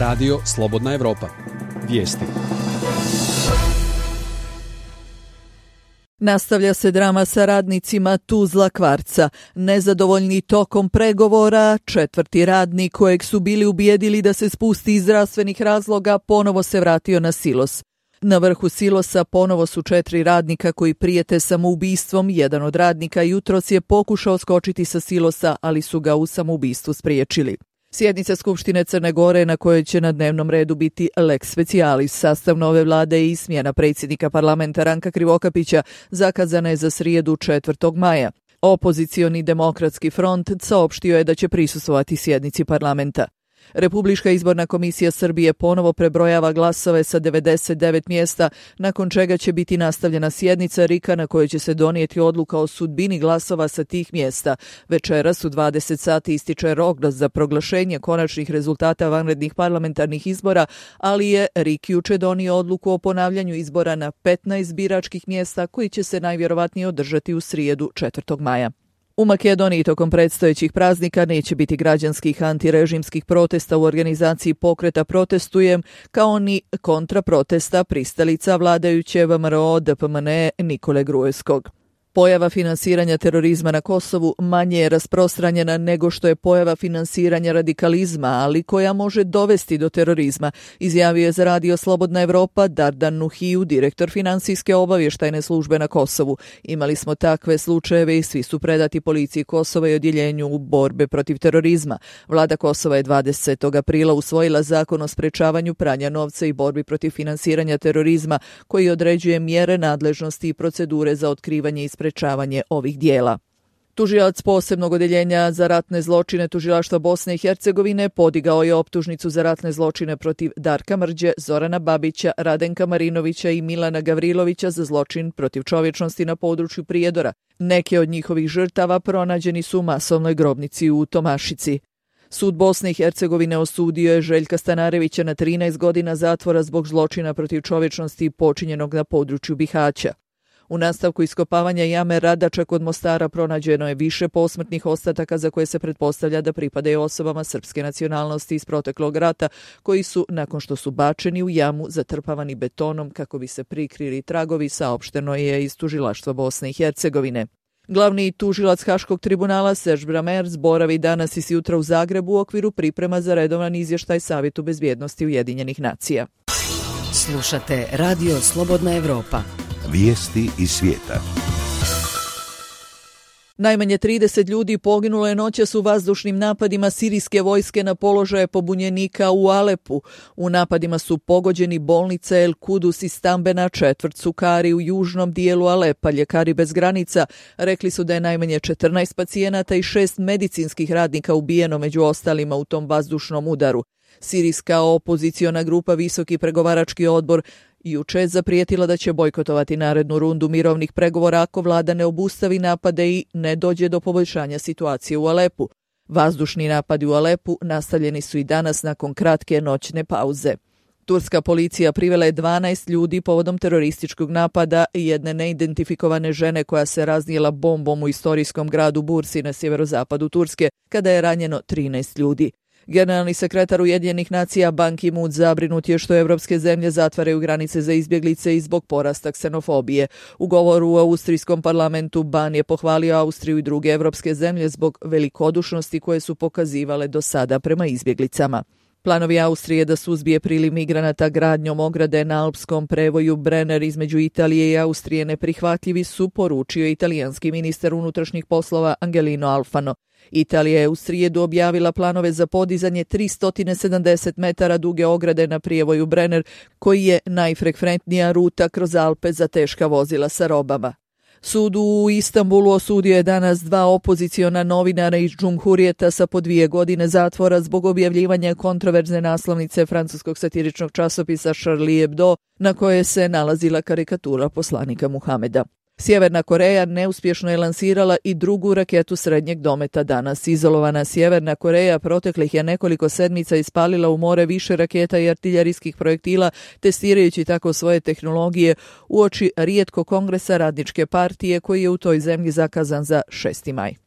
Radio Slobodna Evropa. Vijesti. Nastavlja se drama sa radnicima Tuzla Kvarca. Nezadovoljni tokom pregovora, 4. radnik kojeg su bili ubijedili da se spusti iz zdravstvenih razloga ponovo se vratio na silos. Na vrhu silosa ponovo su 4 radnika koji prijete samoubistvom. Jedan od radnika jutros je pokušao skočiti sa silosa, ali su ga u samoubistvu spriječili. Sjednica Skupštine Crne Gore na kojoj će na dnevnom redu biti lex specialis, sastav nove vlade i smjena predsjednika parlamenta Ranka Krivokapića zakazana je za srijedu 4. maja. Opozicioni demokratski front saopštio je da će prisustvovati sjednici parlamenta. Republička izborna komisija Srbije ponovo prebrojava glasove sa 99 mjesta, nakon čega će biti nastavljena sjednica RIK-a na kojoj će se donijeti odluka o sudbini glasova sa tih mjesta. Večeras u 20 sati ističe rok za proglašenje konačnih rezultata vanrednih parlamentarnih izbora, ali je RIK juče donio odluku o ponavljanju izbora na 15 biračkih mjesta koji će se najvjerovatnije održati u srijedu 4. maja. U Makedoniji tokom predstojećih praznika neće biti građanskih antirežimskih protesta u organizaciji pokreta Protestujem, kao ni kontraprotesta pristalica vladajuće VMRO DPMN Nikole Gruevskog. Pojava finansiranja terorizma na Kosovu manje je rasprostranjena nego što je pojava finansiranja radikalizma, ali koja može dovesti do terorizma, izjavio je za Radio Slobodna Evropa Dardan Nuhiju, direktor finansijske obavještajne službe na Kosovu. Imali smo takve slučajeve i svi su predati policiji Kosova i odjeljenju borbe protiv terorizma. Vlada Kosova je 20. aprila usvojila zakon o sprečavanju pranja novca i borbi protiv finansiranja terorizma, koji određuje mjere, nadležnosti i procedure za otkrivanje i sprečavanje ovih dijela. Tužilac posebnog odjeljenja za ratne zločine Tužilaštva Bosne i Hercegovine podigao je optužnicu za ratne zločine protiv Darka Mrđe, Zorana Babića, Radenka Marinovića i Milana Gavrilovića za zločin protiv čovječnosti na području Prijedora. Neke od njihovih žrtava pronađeni su u masovnoj grobnici u Tomašici. Sud Bosne i Hercegovine osudio je Željka Stanarevića na 13 godina zatvora zbog zločina protiv čovječnosti počinjenog na području Bihaća. U nastavku iskopavanja jame Radača kod Mostara pronađeno je više posmrtnih ostataka za koje se pretpostavlja da pripadaju osobama srpske nacionalnosti iz proteklog rata, koji su, nakon što su bačeni u jamu, zatrpavani betonom kako bi se prikrili tragovi, saopšteno je iz Tužilaštva Bosne i Hercegovine. Glavni tužilac Haškog tribunala Serge Brammertz boravi danas i sjutra u Zagrebu u okviru priprema za redovan izvještaj Savjetu bezbjednosti Ujedinjenih nacija. Slušate Radio Slobodna Evropa. Vijesti iz svijeta. Najmanje 30 ljudi poginulo je noćas u vazdušnim napadima sirijske vojske na položaje pobunjenika u Alepu. U napadima su pogođeni bolnica El Kudus i stambena četvrt Sukari u južnom dijelu Alepa. Ljekari bez granica rekli su da je najmanje 14 pacijenata i 6 medicinskih radnika ubijeno među ostalima u tom vazdušnom udaru. Sirijska opoziciona grupa Visoki pregovarački odbor juče je zaprijetila da će bojkotovati narednu rundu mirovnih pregovora ako vlada ne obustavi napade i ne dođe do poboljšanja situacije u Alepu. Vazdušni napadi u Alepu nastavljeni su i danas nakon kratke noćne pauze. Turska policija privela je 12 ljudi povodom terorističkog napada i jedne neidentifikovane žene koja se raznijela bombom u istorijskom gradu Bursi na sjeverozapadu Turske, kada je ranjeno 13 ljudi. Generalni sekretar Ujedinjenih nacija Ban Ki-moon zabrinut je što evropske zemlje zatvaraju granice za izbjeglice i zbog porasta ksenofobije. U govoru u austrijskom parlamentu Ban je pohvalio Austriju i druge evropske zemlje zbog velikodušnosti koje su pokazivale do sada prema izbjeglicama. Planovi Austrije da suzbije priliv migranata gradnjom ograde na alpskom prevoju Brenner između Italije i Austrije neprihvatljivi su, poručio italijanski ministar unutrašnjih poslova Angelino Alfano. Italija je u srijedu objavila planove za podizanje 370 metara duge ograde na prijevoju Brenner, koji je najfrekventnija ruta kroz Alpe za teška vozila sa robama. Sud u Istanbulu osudio je danas 2 opoziciona novinara iz Džumhurijeta sa po 2 godine zatvora zbog objavljivanja kontroverzne naslovnice francuskog satiričnog časopisa Charlie Hebdo, na kojoj se nalazila karikatura poslanika Muhameda. Sjeverna Koreja neuspješno je lansirala i drugu raketu srednjeg dometa danas. Izolovana Sjeverna Koreja proteklih je nekoliko sedmica ispalila u more više raketa i artiljerijskih projektila, testirajući tako svoje tehnologije uoči rijetko kongresa Radničke partije koji je u toj zemlji zakazan za 6. maj.